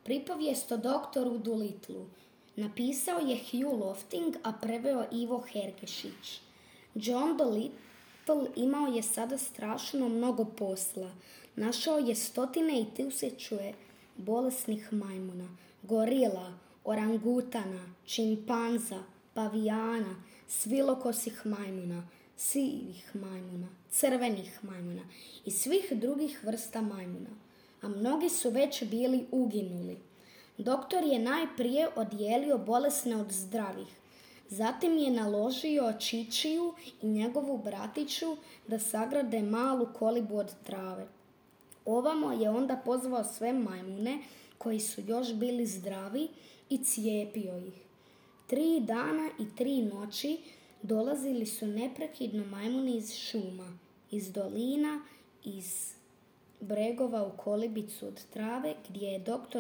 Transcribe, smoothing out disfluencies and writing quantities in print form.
Pripovijest o doktoru Dolittlu. Napisao je Hugh Lofting, a preveo Ivo Hergešić. John Dolittle imao je sada strašno mnogo posla. Našao je stotine i tisuće bolesnih majmuna, gorila, orangutana, čimpanza, pavijana, svilokosih majmuna, sivih majmuna, crvenih majmuna i svih drugih vrsta majmuna, a mnogi su već bili uginuli. Doktor je najprije odijelio bolesne od zdravih, zatim je naložio Čičiju i njegovu bratiću da sagrade malu kolibu od trave. Ovamo je onda pozvao sve majmune koji su još bili zdravi i cijepio ih. 3 dana i 3 noći dolazili su neprekidno majmuni iz šuma, iz dolina, iz bregova u kolibicu od trave gdje je doktor